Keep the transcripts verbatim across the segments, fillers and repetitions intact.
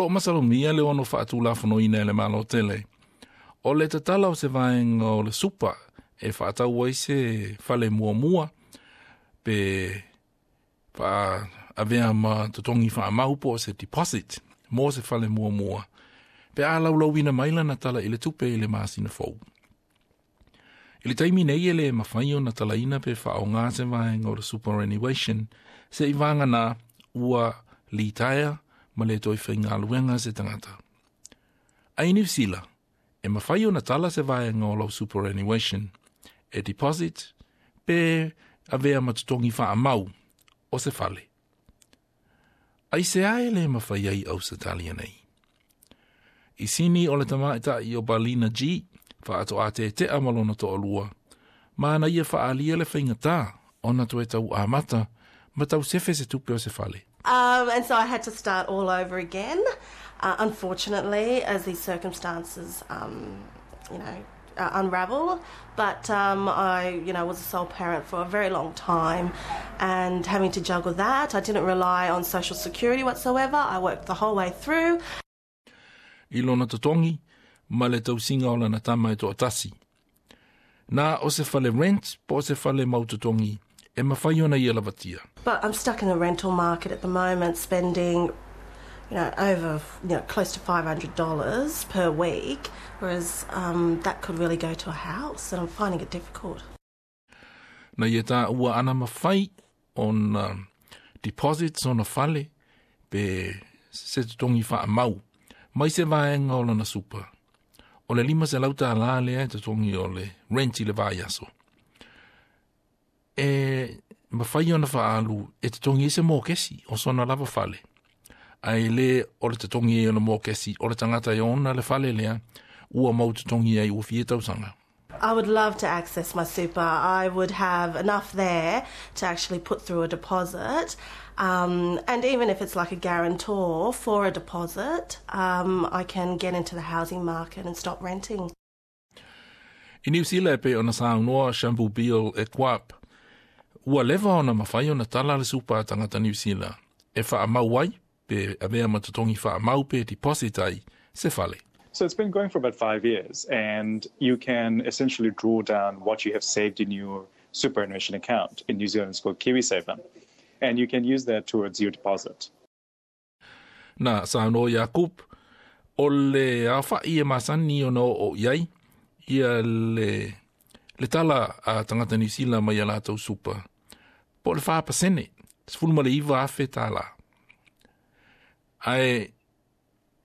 loo masalomia le ono faatulafonoina e le Malo tele. O le tatala o se vaega o le super e faatau ai se fale muamua pe faa avea ma totogi faamau po o se deposit mo se fale muamua pe a laulauina mai lana tala i le tupe i le masina fou. I le taimi nei e le mafai ona talaina pe faaaoga se vaega o le superannuation se i vagana ua litaea ma le toe faigaluega se tagata. Ai Niu Sila, e mafai ona tala se vaega o lau superannuation e deposit pe avea ma totogi faamau o se fale. Aisea e le mafai ai Ausetalia nei? I Sini o le tamaitai o Balina G, faatoa tetea ma lona toalua, ma na ia faaalia le faigata ona toe tau amata ma tau sefe se tupe o se fale. Um, and so I had to start all over again. Uh, unfortunately, as these circumstances, um, you know, uh, unravel. But um, I, you know, was a sole parent for a very long time, and having to juggle that, I didn't rely on social security whatsoever. I worked the whole way through. I lona totogi, ma le tausiga o lana tama e toatasi. Na o se fale rent po o se fale mau totogi e mafai ona ia lavatia. But I'm stuck in the rental market at the moment, spending, you know, over, you know, close to five hundred dollars per week, whereas um, that could really go to a house, and I'm finding it difficult. Na ia taua ana mafai ona deposit ona fale pe se totogi faamau mai se vaega o lona super. O le lima selau tālā lea e totogi o le rent i le vaiaso. E mafai ona faaalu e totogi ai se mokesi o sona lava fale. Ae le o le totogi ai o le mokesi o le tagata e ona le fale lea ua mau totogi ai ua fia tausaga. I would love to access my super. I would have enough there to actually put through a deposit. Um, and even if it's like a guarantor for a deposit, um, I can get into the housing market and stop renting. I Niu Sila e pei ona saunoa Shampoo Bill e Quap, ua leva ona mafai ona tala le super a tagata Niu Sila e faamau ai pe avea ma totogi faamau pe deposit ai se fale. So it's been going for about five years, and you can essentially draw down what you have saved in your superannuation account. In New Zealand, it's called KiwiSaver, and you can use that towards your deposit. Na saunoa Jakub, o le aofa'i e masani ona oo i ai, ia le, le tala a tagata Niu Sila mai a latou super. Po o le fa pasene, sefulu ma le iva afe tālā. Ae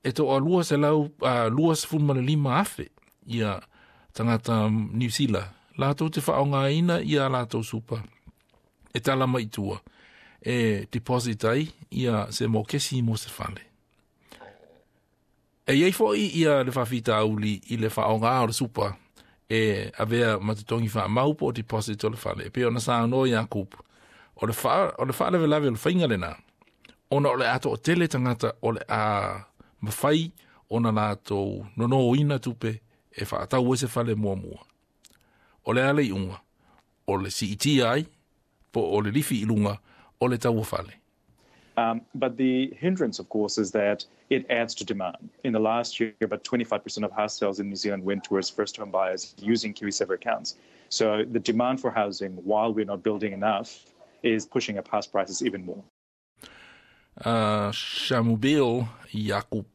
e toalua selau uh, lua sefulu ma le lima afe ia tagata Niu Sila. Latou te faaaogaina ia latou super. E tala mai tua. E deposit ai ia se mokesi mo se fale. E iai fo'i ia le faafitauli i le faaaoga o le super e avea ma totogi faamau po o deposit o le fale. E pei ona saunoa Iakupu. O le fa o le faalavelave o le faiga lena. Ona o le a toatele tagata o le a mafai ona latou nonoina tupe e faatau ai se fale muamua. O le a le iuga, o le siitia ai, po o le lifi i luga, o le tau o fale. Um, but the hindrance, of course, is that it adds to demand. In the last year, about twenty-five percent of house sales in New Zealand went towards first-home buyers using KiwiSaver accounts. So the demand for housing, while we're not building enough, is pushing up house prices even more. Uh, Shamubil Jakub.